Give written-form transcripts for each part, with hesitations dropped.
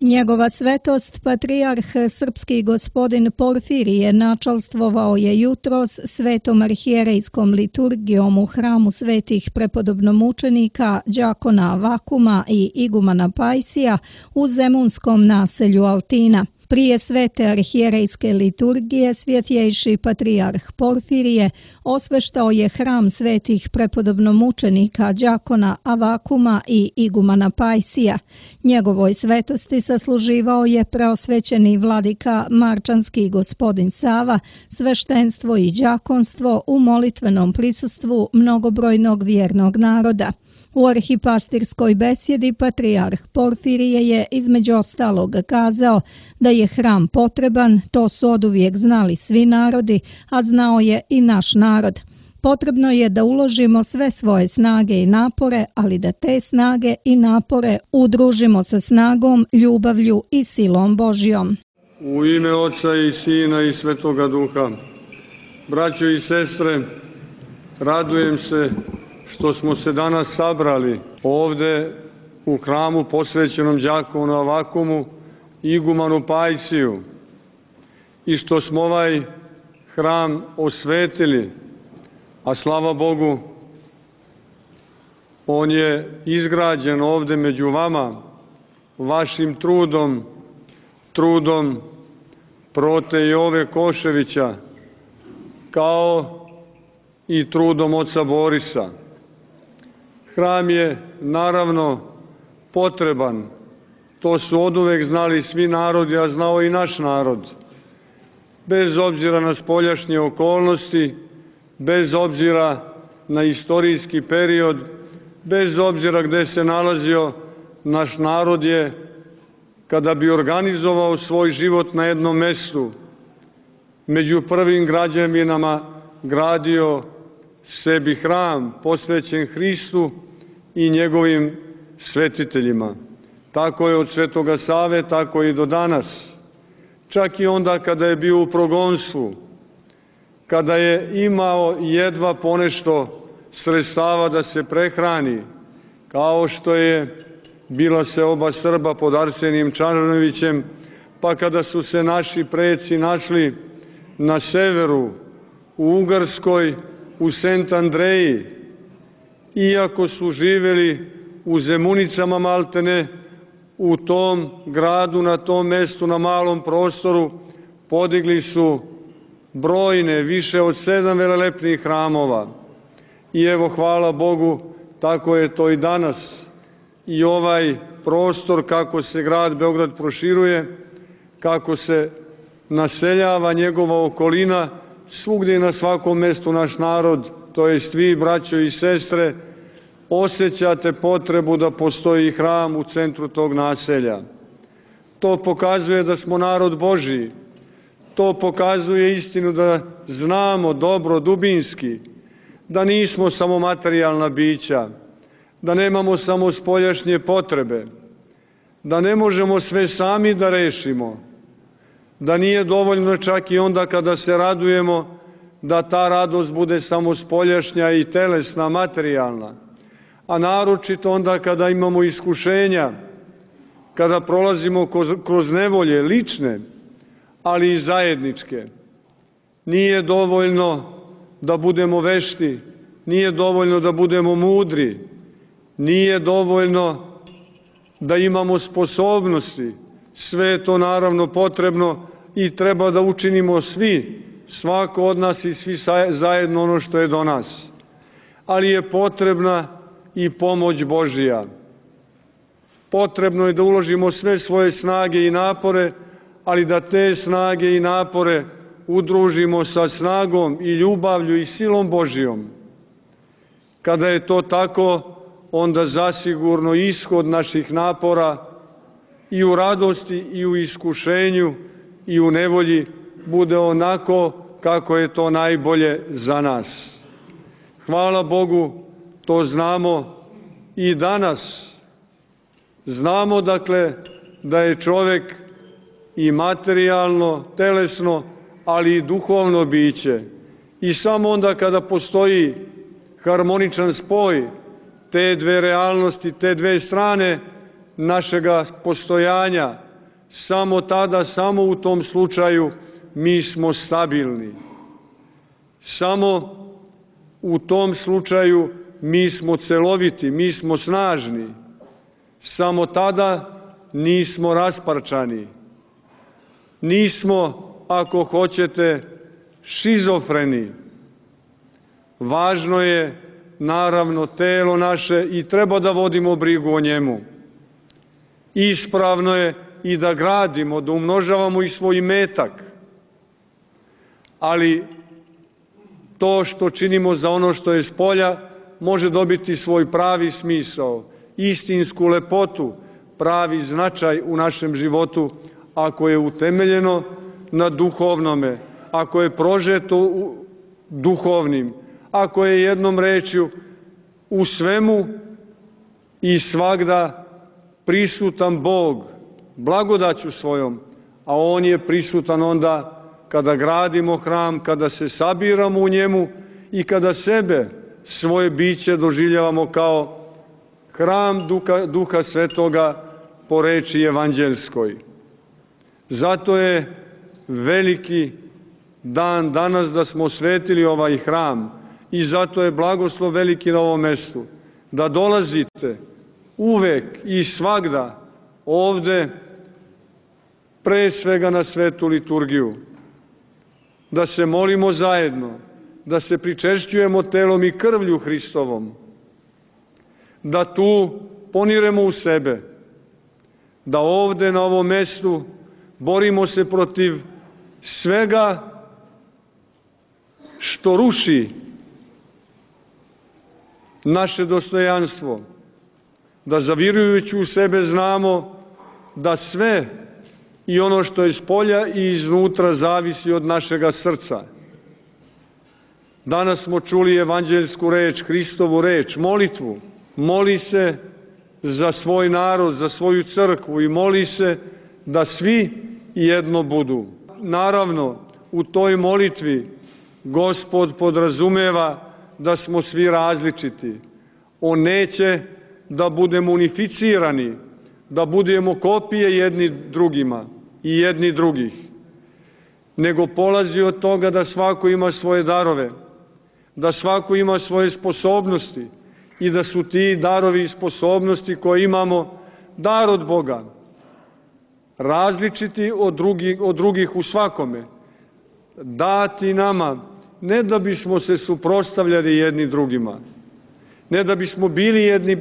Njegova svetost, patrijarh srpski gospodin Porfirije, načalstvovao je jutros svetom arhijerejskom liturgijom u hramu svetih prepodobnomučenika đakona Avakuma i igumana Pajsija u zemunskom naselju Altina. Prije svete arhijerejske liturgije svjetjejši patrijarh Porfirije osveštao je hram svetih prepodobnomučenika đakona Avakuma i igumana Pajsija. Njegovoj svetosti sasluživao je preosvećeni vladika Marčanski gospodin Sava, sveštenstvo i đakonstvo u molitvenom prisustvu mnogobrojnog vjernog naroda. U arhipastirskoj besjedi patrijarh Porfirije je između ostalog kazao da je hram potreban, to su oduvijek znali svi narodi, a znao je i naš narod. Potrebno je da uložimo sve svoje snage i napore, ali da te snage i napore udružimo sa snagom, ljubavlju i silom Božjom. U ime Oca i Sina i Svetoga Duha. Braćo i sestre, radujem se što smo se danas sabrali ovde u hramu posvećenom đakonu Avakumu i igumanu Pajsiju i što smo ovaj hram osvetili, a slava Bogu, on je izgrađen ovde među vama, vašim trudom Prote Jove Koševića, kao i trudom oca Borisa. Hram je naravno potreban, to su oduvek znali svi narodi, a znao i naš narod. Bez obzira na spoljašnje okolnosti, bez obzira na istorijski period, bez obzira gde se nalazio, naš narod je, kada bi organizovao svoj život na jednom mestu, među prvim građevinama gradio sebi hram posvećen Hristu i njegovim svetiteljima. Tako je od Svetoga Save, tako i do danas. Čak i onda kada je bio u progonstvu, kada je imao jedva ponešto sredstava da se prehrani, kao što je bila seoba Srba pod Arsenijem Čarnojevićem, pa kada su se naši preci našli na severu, u Ugarskoj, u Sent Andreji, iako su živjeli u Zemunicama maltene, u tom gradu, na tom mestu, na malom prostoru, podigli su brojne, više od 7 velelepnih hramova. I evo, hvala Bogu, tako je to i danas. I ovaj prostor, kako se grad Beograd proširuje, kako se naseljava njegova okolina, svugdje i na svakom mestu naš narod, to jest vi, braćo i sestre, osjećate potrebu da postoji hram u centru tog naselja. To pokazuje da smo narod Božiji. To pokazuje istinu da znamo dobro, dubinski, da nismo samo materijalna bića, da nemamo samo spoljašnje potrebe, da ne možemo sve sami da rešimo, da nije dovoljno čak i onda kada se radujemo da ta radost bude samo spoljašnja i telesna, materijalna, a naročito onda kada imamo iskušenja, kada prolazimo kroz nevolje lične, ali i zajedničke. Nije dovoljno da budemo vešti, nije dovoljno da budemo mudri, nije dovoljno da imamo sposobnosti. Sve je to naravno potrebno i treba da učinimo svi, svako od nas i svi zajedno ono što je do nas. Ali je potrebna i pomoć Božija. Potrebno je da uložimo sve svoje snage i napore, ali da te snage i napore udružimo sa snagom i ljubavlju i silom Božijom. Kada je to tako, onda zasigurno ishod naših napora i u radosti i u iskušenju i u nevolji bude onako kako je to najbolje za nas. Hvala Bogu, to znamo i danas. Znamo dakle da je čovjek i materijalno, telesno, ali i duhovno biće. I samo onda kada postoji harmoničan spoj te dve realnosti, te dve strane našega postojanja, samo tada, samo u tom slučaju mi smo stabilni. Samo u tom slučaju mi smo celoviti, mi smo snažni. Samo tada nismo rasparčani. Nismo, ako hoćete, šizofreni. Važno je, naravno, telo naše i treba da vodimo brigu o njemu. Ispravno je i da gradimo, da umnožavamo i svoj imetak. Ali to što činimo za ono što je spolja može dobiti svoj pravi smisao, istinsku lepotu, pravi značaj u našem životu ako je utemeljeno na duhovnome, ako je prožeto duhovnim, ako je jednom rečju u svemu i svagda prisutan Bog, blagodaću svojom, a On je prisutan onda kada gradimo hram, kada se sabiramo u njemu i kada sebe, svoje biće doživljavamo kao hram Duha Svetoga po reči evanđelskoj. Zato je veliki dan danas da smo osvetili ovaj hram i zato je blagoslov veliki na ovom mestu. Da dolazite uvek i svagda ovde, pre svega na svetu liturgiju, da se molimo zajedno, da se pričešćujemo telom i krvlju Hristovom, da tu poniremo u sebe, da ovde na ovom mestu borimo se protiv svega što ruši naše dostojanstvo, da zavirujući u sebe znamo da sve i ono što je spolja i iznutra zavisi od našega srca. Danas smo čuli evanđeljsku reč, Hristovu reč, molitvu. Moli se za svoj narod, za svoju crkvu i moli se da svi jedno budu. Naravno, u toj molitvi Gospod podrazumeva da smo svi različiti. On neće da budemo unificirani, da budemo kopije jedni drugima i jedni drugih, nego polazi od toga da svako ima svoje darove, da svako ima svoje sposobnosti i da su ti darovi i sposobnosti koje imamo dar od Boga, različiti od drugih u svakome, dati nama, ne da bismo se suprotstavljali jedni drugima, ne da bismo bili jedni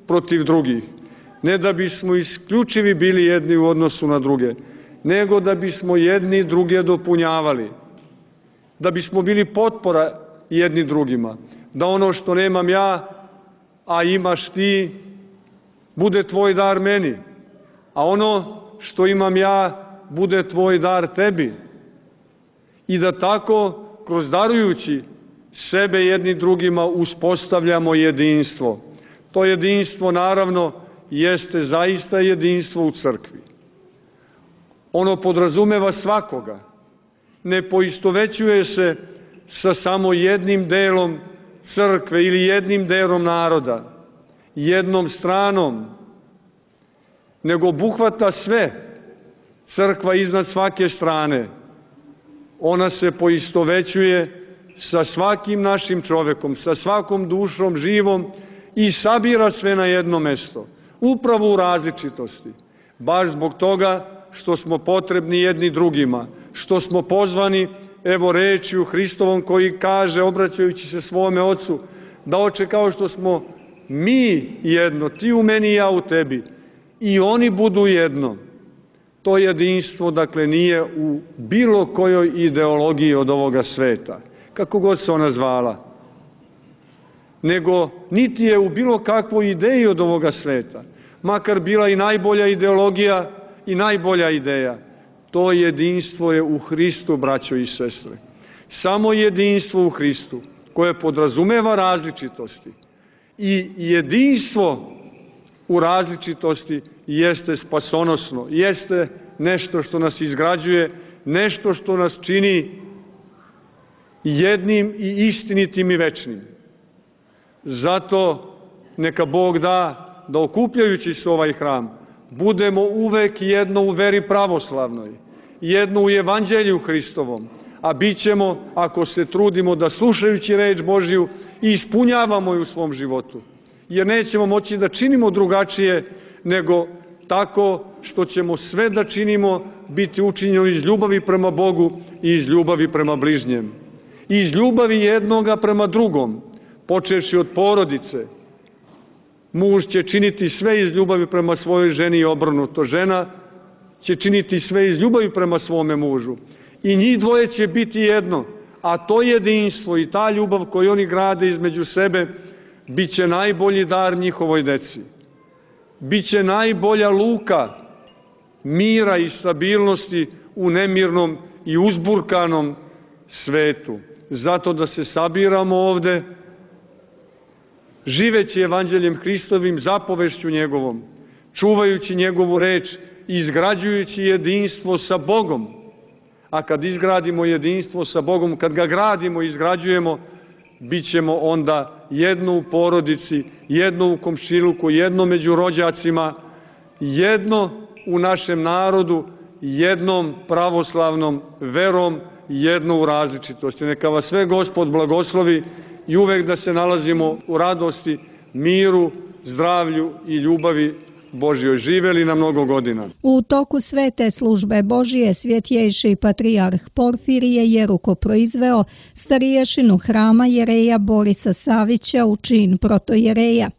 protiv drugih, ne da bismo isključivi bili jedni u odnosu na druge, nego da bismo jedni druge dopunjavali, da bismo bili potpora jedni drugima, da ono što nemam ja, a imaš ti, bude tvoj dar meni, a ono što imam ja, bude tvoj dar tebi. I da tako, kroz darujući sebe jedni drugima, uspostavljamo jedinstvo. To jedinstvo, naravno, jeste zaista jedinstvo u crkvi. Ono podrazumeva svakoga. Ne poistovećuje se sa samo jednim delom crkve ili jednim delom naroda, jednom stranom, nego obuhvata sve. Crkva iznad svake strane. Ona se poistovećuje sa svakim našim čovekom, sa svakom dušom živom i sabira sve na jedno mesto. Upravo u različitosti. Baš zbog toga što smo potrebni jedni drugima, što smo pozvani, evo rečju Hristovom koji kaže, obraćajući se svome Ocu, da Oče, kao što smo mi jedno, ti u meni i ja u tebi, i oni budu jedno. To jedinstvo, dakle, nije u bilo kojoj ideologiji od ovoga sveta, kako god se ona zvala, nego niti je u bilo kakvoj ideji od ovoga sveta, makar bila i najbolja ideologija i najbolja ideja. To jedinstvo je u Hristu, braćo i sestre. Samo jedinstvo u Hristu, koje podrazumeva različitosti. I jedinstvo u različitosti jeste spasonosno, jeste nešto što nas izgrađuje, nešto što nas čini jednim i istinitim i večnim. Zato neka Bog da okupljajući se ovaj hram, budemo uvek jedno u veri pravoslavnoj, jedno u evanđelju Hristovom, a bit ćemo, ako se trudimo da slušajući reč Božju i ispunjavamo je u svom životu, jer nećemo moći da činimo drugačije nego tako što ćemo sve da činimo biti učinjeno iz ljubavi prema Bogu i iz ljubavi prema bližnjem. I iz ljubavi jednoga prema drugom, počevši od porodice. Muž će činiti sve iz ljubavi prema svojoj ženi i obrnuto. Žena će činiti sve iz ljubavi prema svome mužu. I njih dvoje će biti jedno, a to jedinstvo i ta ljubav koju oni grade između sebe bit će najbolji dar njihovoj deci. Biće najbolja luka mira i stabilnosti u nemirnom i uzburkanom svetu. Zato da se sabiramo ovde, živeći evanđeljem Hristovim, zapovešću njegovom, čuvajući njegovu reč i izgrađujući jedinstvo sa Bogom. A kad izgradimo jedinstvo sa Bogom, kad ga gradimo i izgrađujemo, bit ćemo onda jedno u porodici, jedno u komšiluku, jedno među rođacima, jedno u našem narodu, jednom pravoslavnom verom, jedno u različitosti. Neka vas sve Gospod blagoslovi i uvek da se nalazimo u radosti, miru, zdravlju i ljubavi Božjoj. Živeli na mnogo godina. U toku svete službe Božije svjetjejši patrijarh Porfirije je rukoproizveo stariješinu hrama jereja Borisa Savića u čin protojereja.